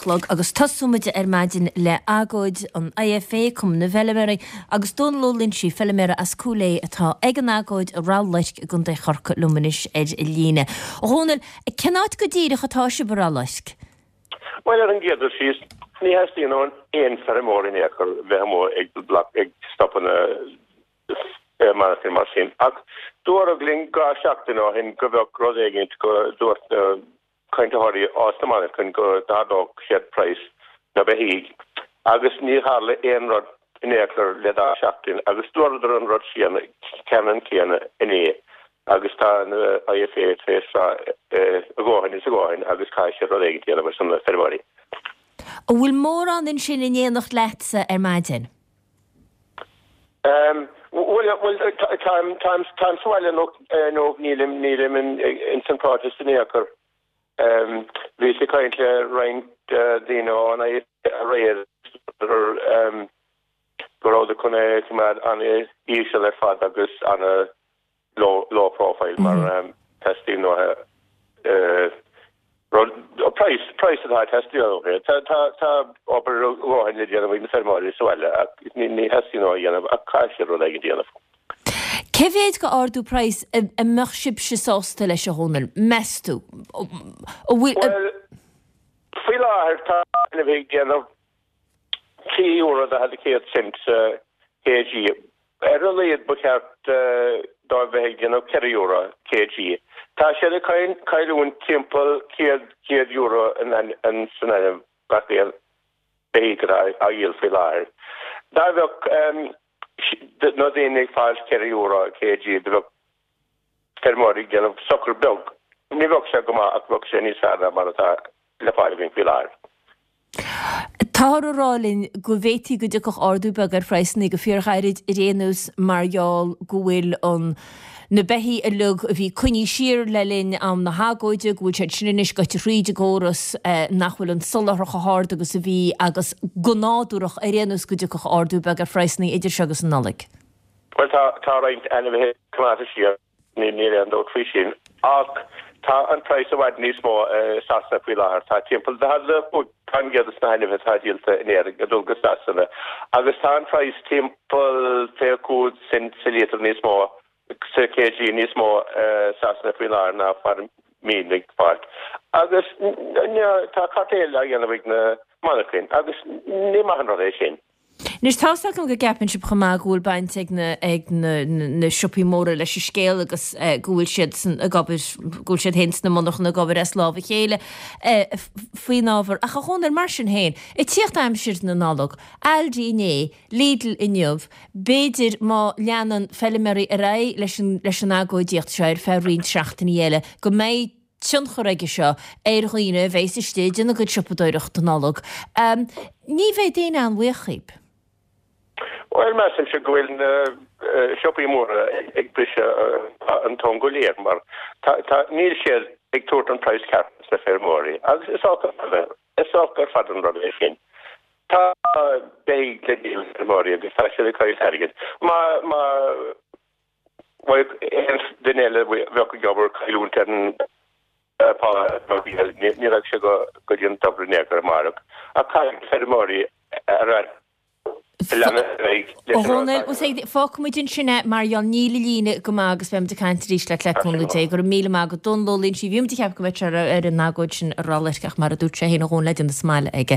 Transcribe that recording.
chlog agus tosóimid ar maidin le agóid an IFA, Cumann na bhFeilméaraí, agus Dónal Ó Loinsigh, feilméara as Cúil Aodha atá ag an agóid i Ráth Luirc i gContae Chorcaí liom anois ar líne. A Dhónaill, cén áit go díreach atá sibh i Ráth Luirc? Bhuel, ar an gcéad dul síos, ní theastaíonn ó aon feirmeoir in aon chor bheith amuigh ag bloc ag stopadh na monarchan mar sin. Ach dúradh linn 2 seachtain ó shin go bheadh rud éigint go dúirt na cainteoirí as na monarchain go d'ardódh siad praghas na beithígh agus ní tharla aon rud in aon chor le 2 seachtain agus dúradar an rud céanna ceannann céanna inné agus tá na IFA tar éis rá a dhóthain is a dhóthain agus caithfidh siad rud éigin a dhéanamh ar son na feirmeoirí. An bhfuil mórán ansin in éineacht leatsa ar maidin? Bhuel, bhuel, táim, táim, táim sa bhaile anocht, nó nílim, nílim in, ins an protest in aon chor. Bhíos ag caint le roinnt daoine ón IFA aréir go rabhadar chun é a choimeád an-íseal ar fad agus ana low, low profile mar teastaíonn uathu rud, praghas, praghas atá ag teastáil uathu. Tá, tá, tá obair a dhóthain le déanamh ag na feirmeoirí sa bhaile ach ní, ní theastaíonn uathu a dhéanamh ach caithfidh siad rud éigin a dhéanamh. Cé mhéad de ardú praghais a mbeadh sibhse sásta leis, a Dhónaill, meas tú? An bhfuil. Bhuel, faoi láthair tá ainmhithe ag déanamh €3 40 cent sa kg. Ar a laghad ba cheart dóibh bheith ag déanamh €4 kg. Tá siad ag cailliúint timpeall €100 san ainmhí gach aon beithíoch atá á dhíol faoi láthair. Dá mbeadh na daoine ag fáil €4 kg do bheadh feirmeoirí ag déanamh sochar beag. Ní bheadh sé go maith ach bheadh sé níos fearr ná mar atá le fáil againn faoi láthair. Táthar ag rá linn go bhféadfaí go dtiocfadh ardú beag ar phraghsanna go fíorghairid ar aon nós mar gheall go bhfuil an na beithígh uilig a bhí coinnithe siar le linn am na hagóide, go bhfuil siad sin anois gaibhte thríd an gcóras, nach bhfuil an soláthar chomh hard agus a bhí agus go nádúrach ar aon nós go dtiocfadh ardú beag ar phraghsanna idir seo agus an Nollaig. Bhuel tá tá roinnt ainmhithe coimeádta siar. Níl aon dabht faoi sin. Ach tá an praghas i bhfad níos mó i Sasana faoi láthair. Tá timpeall 45% de na hainmhithe atá díolta in Éirinn ag dul go Sasana agus tá an praghas timpeall 25 cent sa líotar níos mó, sa kg níos mó i Sasana faoi láthair ná mar a mbíonn ag fáil. Agus tá cartel á dhéanamh ag na monarchain agus ní maith an rud é sin. Anois, tá's agam go gceapann sibh chomh maith go bhfuil baint ag na, ag na, na siopaí móra leis an scéal agus go bhfuil siad san, ag obair, go bhfuil siad féin sna monarchana ag obair as lámh a chéile faoin ábhar. Ach a Dhónaill, mar sin féin, ag tíocht aimsir na Nollag, Aldi inné, Lidl inniu, b'fhéidir má leanann feilméaraí ar aghaidh leis an, leis an agóidíocht seo ar feadh roinnt seachtainí eile, go mbeidh tionchar aige seo ar dhaoine a bheas istigh ag déanamh a gcuid siopadóireachta Nollag. Ní bheidh éinne an-bhuíoch dhíbh. Bhuel, measaimse go bhfuil na siopaí móra ag briseadh an tonn go léir mar tá, níl siad ag tabhairt an praghas ceart dos na feirmeoirí agus is olc is olc ar fad an rud é sin. Tá beithígh le díol ag feirmeoirí agus tá siad ag cailliúint airgid. Má, má. Bheadh aon duine eile a bheadh ag obair cailliúint ar an phá ní raghadh sé go dtí an tobar in aon chor amárach. Ach caithfidh feirmeoirí a leanadh ar aghaidh leis an rud. Fágfaidh muid ansin é mar gheall níl an líne go maith agus beidh muid ag caint arís leat le cúnamh Dé. Go raibh míle maith agat Dónal Ó Loinsigh. Bhí muid ag ceapadh go mbeadh sé ar an agóid sin i Ráth Luirc ach mar a dúirt sé féin a Dhónaill le déanamh sa mbaile aige.